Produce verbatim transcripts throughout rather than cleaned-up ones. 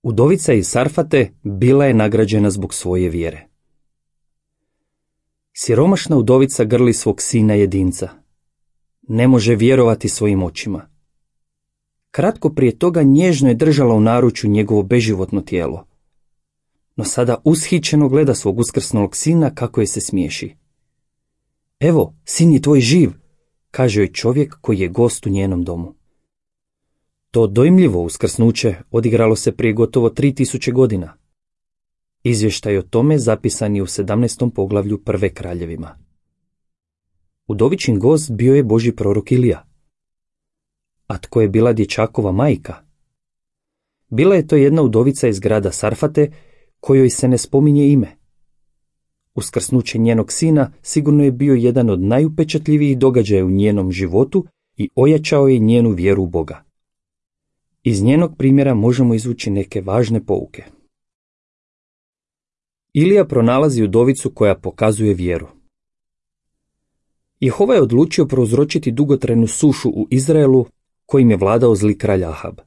Udovica iz Sarfate bila je nagrađena zbog svoje vjere. Siromašna udovica grli svog sina jedinca. Ne može vjerovati svojim očima. Kratko prije toga nježno je držala u naručju njegovo beživotno tijelo. No sada ushićeno gleda svog uskrsnulog sina kako je se smiješi. Evo, sin je tvoj živ, kaže joj čovjek koji je gost u njenom domu. To dojmljivo uskrsnuće odigralo se prije gotovo tri tisuće godina. Izvještaj o tome zapisan je u sedamnaestom poglavlju Prve kraljevima. Udovičin gost bio je Božji prorok Ilija. A tko je bila dječakova majka? Bila je to jedna udovica iz grada Sarfate, kojoj se ne spominje ime. Uskrsnuće njenog sina sigurno je bio jedan od najupečatljivijih događaja u njenom životu i ojačao je njenu vjeru u Boga. Iz njenog primjera možemo izvući neke važne pouke. Ilija pronalazi udovicu koja pokazuje vjeru. Jehova je odlučio prouzročiti dugotrajnu sušu u Izraelu kojim je vladao zli kralj Ahab.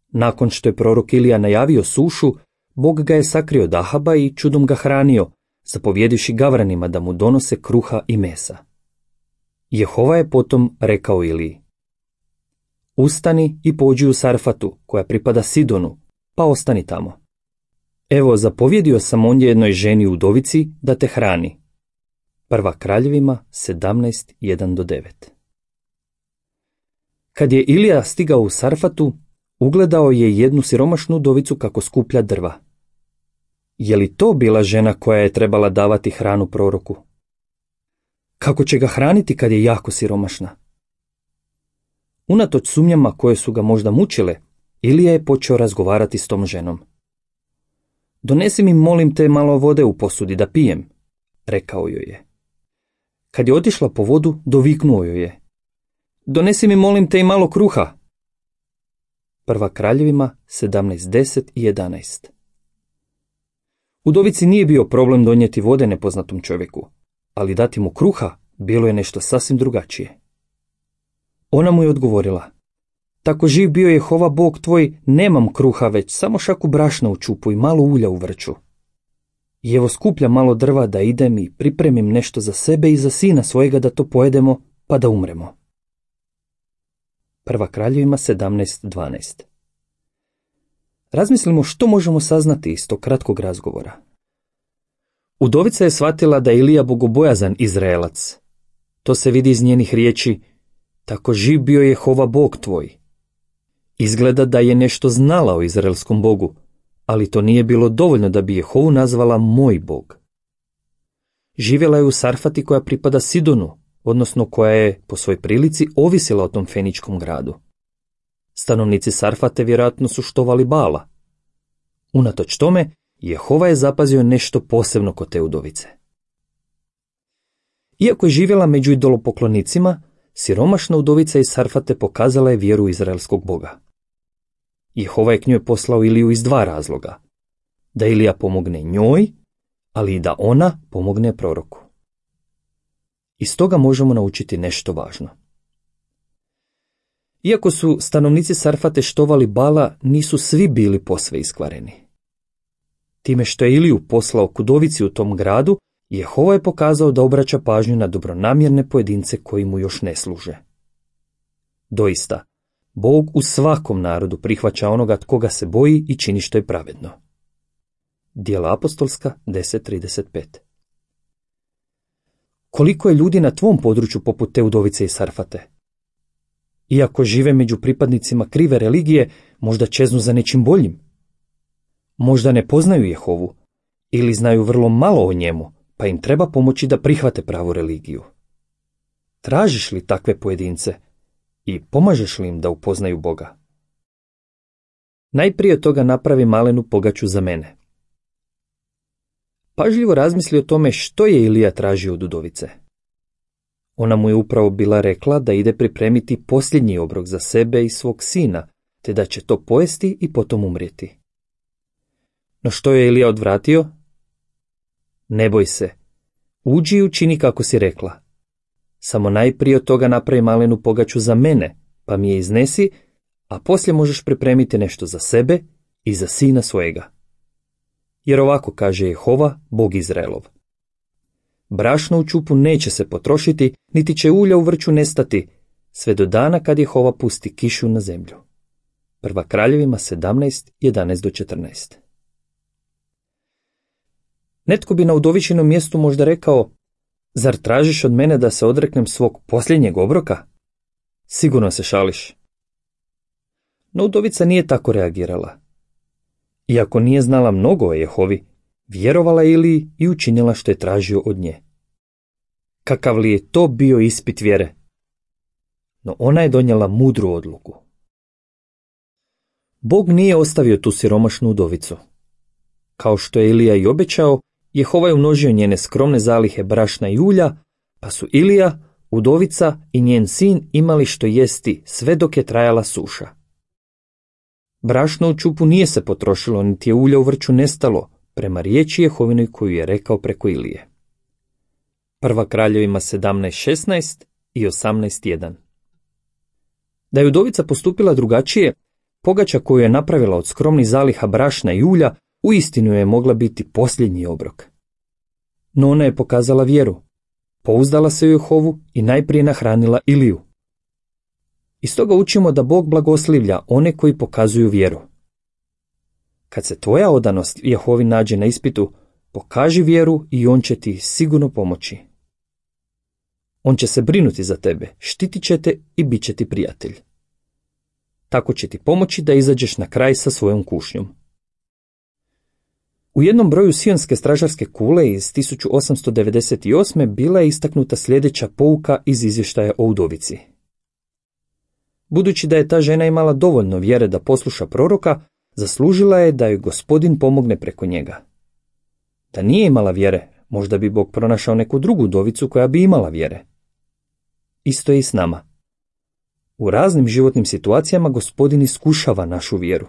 Nakon što je prorok Ilija najavio sušu, Bog ga je sakrio od Ahaba i čudom ga hranio, zapovjedivši gavranima da mu donose kruha i mesa. Jehova je potom rekao Iliji: Ustani i pođi u Sarfatu, koja pripada Sidonu, pa ostani tamo. Evo, zapovjedio sam ondje jednoj ženi udovici da te hrani. Prva kraljevima sedamnaest jedan do devet. Kad je Ilija stigao u Sarfatu, ugledao je jednu siromašnu udovicu kako skuplja drva. Je li to bila žena koja je trebala davati hranu proroku? Kako će ga hraniti kad je jako siromašna? Unatoč sumnjama koje su ga možda mučile, Ilija je počeo razgovarati s tom ženom. Donesi mi, molim te, malo vode u posudi da pijem, rekao joj je. Kad je otišla po vodu, doviknuo joj je: Donesi mi, molim te, i malo kruha. Prva kraljevima sedamnaest deset i jedanaest. Udovici nije bio problem donijeti vode nepoznatom čovjeku, ali dati mu kruha bilo je nešto sasvim drugačije. Ona mu je odgovorila: Tako živ bio Jehova Bog tvoj, nemam kruha, već samo šaku brašna u čupu i malo ulja u vrču. I evo skuplja malo drva da idem i pripremim nešto za sebe i za sina svojega da to pojedemo, pa da umremo. Prva kraljevima sedamnaest dvanaest. Razmislimo što možemo saznati iz tog kratkog razgovora. Udovica je shvatila da je Ilija bogobojazan Izraelac. To se vidi iz njenih riječi: Tako živ bio je Jehova Bog tvoj. Izgleda da je nešto znala o izraelskom Bogu, ali to nije bilo dovoljno da bi Jehovu nazvala moj Bog. Živjela je u Sarfati koja pripada Sidonu, odnosno koja je po svojoj prilici ovisila o tom feničkom gradu. Stanovnici Sarfate vjerojatno su štovali Bala. Unatoč tome, Jehova je zapazio nešto posebno kod te udovice. Iako je živjela među idolopoklonicima, siromašna udovica iz Sarfate pokazala je vjeru izraelskog Boga. Jehova je k njoj poslao Iliju iz dva razloga: da Ilija pomogne njoj, ali i da ona pomogne proroku. Iz toga možemo naučiti nešto važno. Iako su stanovnici Sarfate štovali Bala, nisu svi bili posve iskvareni. Time što je Iliju poslao k udovici u tom gradu, Jehova je pokazao da obraća pažnju na dobronamjerne pojedince koji mu još ne služe. Doista, Bog u svakom narodu prihvaća onoga tko ga se boji i čini što je pravedno. Djela apostolska deset trideset pet. Koliko je ljudi na tvom području poput te udovice iz Sarfate? Iako žive među pripadnicima krive religije, možda čeznu za nečim boljim. Možda ne poznaju Jehovu ili znaju vrlo malo o njemu, pa im treba pomoći da prihvate pravu religiju. Tražiš li takve pojedince i pomažeš li im da upoznaju Boga? Najprije toga napravi malenu pogaču za mene. Pažljivo razmisli o tome što je Ilija tražio od udovice. Ona mu je upravo bila rekla da ide pripremiti posljednji obrok za sebe i svog sina, te da će to pojesti i potom umrijeti. No što je Ilija odvratio? Ne boj se, uđi i učini kako si rekla. Samo najprije od toga napravi malenu pogaču za mene, pa mi je iznesi, a poslije možeš pripremiti nešto za sebe i za sina svojega. Jer ovako kaže Jehova, Bog Izraelov. Brašno u ćupu neće se potrošiti, niti će ulja u vrču nestati, sve do dana kad Jehova pusti kišu na zemlju. Prva Kraljevima sedamnaest, jedanaest do četrnaest. Netko bi na udovičinom mjestu možda rekao, zar tražiš od mene da se odreknem svog posljednjeg obroka? Sigurno se šališ. No udovica nije tako reagirala. Iako nije znala mnogo o Jehovi, vjerovala je Iliji i učinila što je tražio od nje. Kakav li je to bio ispit vjere? No ona je donijela mudru odluku. Bog nije ostavio tu siromašnu udovicu. Kao što je Ilija i obećao, Jehova je umnožio njene skromne zalihe brašna i ulja, pa su Ilija, udovica i njen sin imali što jesti sve dok je trajala suša. Brašno u ćupu nije se potrošilo, niti je ulja u vrču nestalo, prema riječi Jehovinoj koju je rekao preko Ilije. Prva Kraljevima sedamnaest šesnaest i osamnaest jedan. Da je udovica postupila drugačije, pogača koju je napravila od skromnih zaliha brašna i ulja uistinu je mogla biti posljednji obrok. No ona je pokazala vjeru, pouzdala se u Jehovu i najprije nahranila Iliju. Iz toga učimo da Bog blagoslivlja one koji pokazuju vjeru. Kad se tvoja odanost Jehovi nađe na ispitu, pokaži vjeru i on će ti sigurno pomoći. On će se brinuti za tebe, štitit će te i bit će ti prijatelj. Tako će ti pomoći da izađeš na kraj sa svojom kušnjom. U jednom broju sionske stražarske kule iz tisuću osamsto devedeset osme bila je istaknuta sljedeća pouka iz izvještaja o udovici. Budući da je ta žena imala dovoljno vjere da posluša proroka, zaslužila je da joj Gospodin pomogne preko njega. Da nije imala vjere, možda bi Bog pronašao neku drugu udovicu koja bi imala vjere. Isto je i s nama. U raznim životnim situacijama Gospodin iskušava našu vjeru.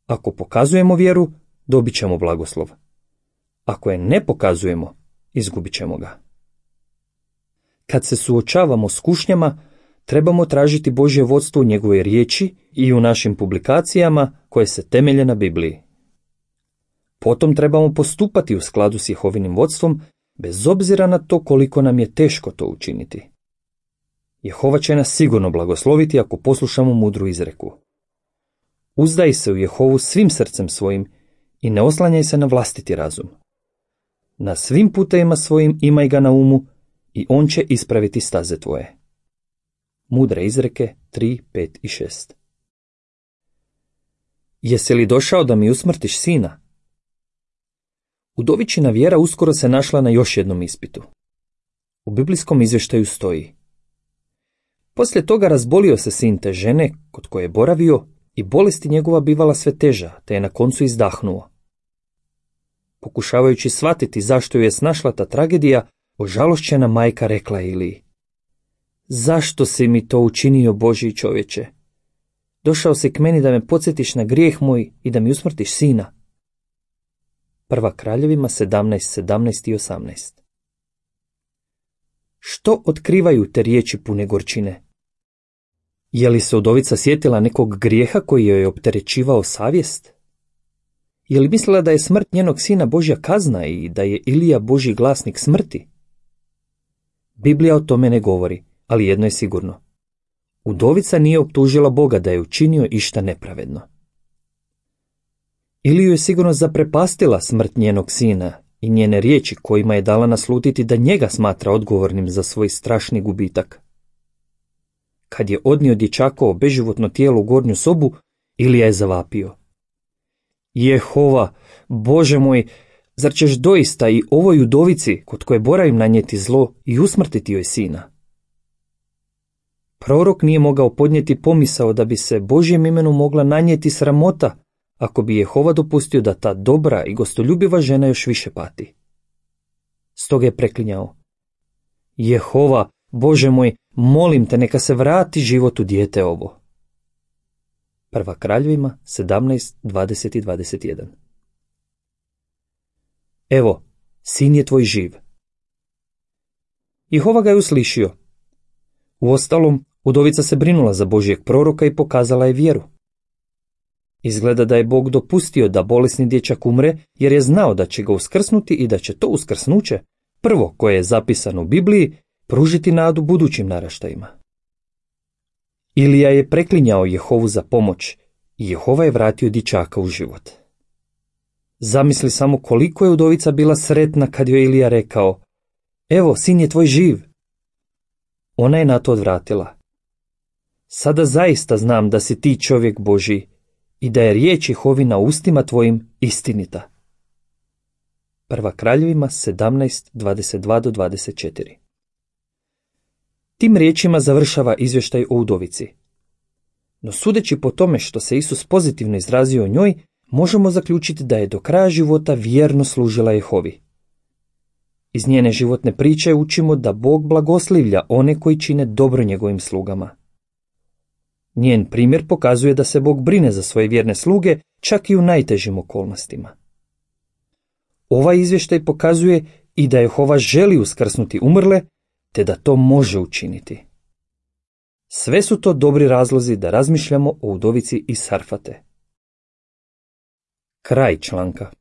Ako pokazujemo vjeru, dobit ćemo blagoslov. Ako je ne pokazujemo, izgubit ćemo ga. Kad se suočavamo s kušnjama, trebamo tražiti Božje vodstvo u njegovoj riječi i u našim publikacijama koje se temelje na Bibliji. Potom trebamo postupati u skladu s Jehovinim vodstvom, bez obzira na to koliko nam je teško to učiniti. Jehova će nas sigurno blagosloviti ako poslušamo mudru izreku. Uzdaj se u Jehovu svim srcem svojim i ne oslanjaj se na vlastiti razum. Na svim putevima svojim imaj ga na umu i on će ispraviti staze tvoje. Mudre izreke tri, pet i šest. Jesi li došao da mi usmrtiš sina? Udovičina vjera uskoro se našla na još jednom ispitu. U biblijskom izvještaju stoji: poslije toga razbolio se sin te žene kod koje je boravio i bolesti njegova bivala sve teža, te je na koncu izdahnuo. Pokušavajući shvatiti zašto ju je snašla ta tragedija, ožalošćena majka rekla Iliji: zašto si mi to učinio, Božji čovječe? Došao si k meni da me podsjetiš na grijeh moj i da mi usmrtiš sina. Prva Kraljevima sedamnaest, sedamnaest i osamnaest. Što otkrivaju te riječi pune gorčine? Je li se udovica sjetila nekog grijeha koji joj je opterećivao savjest? Je li mislila da je smrt njenog sina Božja kazna i da je Ilija Božji glasnik smrti? Biblija o tome ne govori, ali jedno je sigurno. Udovica nije optužila Boga da je učinio išta nepravedno. Iliju je sigurno zaprepastila smrt njenog sina i njene riječi kojima je dala naslutiti da njega smatra odgovornim za svoj strašni gubitak. Kad je odnio dječakovo beživotno tijelo u gornju sobu, Ilija je zavapio: Jehova, Bože moj, zar ćeš doista i ovoj udovici kod koje boravim nanijeti zlo i usmrtiti joj sina? Prorok nije mogao podnijeti pomisao da bi se Božjem imenu mogla nanijeti sramota ako bi Jehova dopustio da ta dobra i gostoljubiva žena još više pati. Stoga je preklinjao: Jehova, Bože moj, molim te, neka se vrati život u dijete ovo. Prva Kraljevima sedamnaest, dvadeset i dvadeset jedan. Evo, sin je tvoj živ. Jehova ga je uslišio. Uostalom, udovica se brinula za Božjeg proroka i pokazala je vjeru. Izgleda da je Bog dopustio da bolesni dječak umre jer je znao da će ga uskrsnuti i da će to uskrsnuće, prvo koje je zapisano u Bibliji, pružiti nadu budućim naraštajima. Ilija je preklinjao Jehovu za pomoć i Jehova je vratio dječaka u život. Zamisli samo koliko je udovica bila sretna kad joj Ilija rekao: evo, sin je tvoj živ. Ona je na to odvratila: sada zaista znam da si ti čovjek Božji i da je riječ Jehovina ustima tvojim istinita. Prva Kraljevima sedamnaest, dvadeset dva do dvadeset četiri. Tim riječima završava izvještaj o udovici. No sudeći po tome što se Isus pozitivno izrazio o njoj, možemo zaključiti da je do kraja života vjerno služila Jehovi. Iz njene životne priče učimo da Bog blagoslivlja one koji čine dobro njegovim slugama. Njen primjer pokazuje da se Bog brine za svoje vjerne sluge čak i u najtežim okolnostima. Ovaj izvještaj pokazuje i da Jehova želi uskrsnuti umrle, te da to može učiniti. Sve su to dobri razlozi da razmišljamo o udovici iz Sarfate. Kraj članka.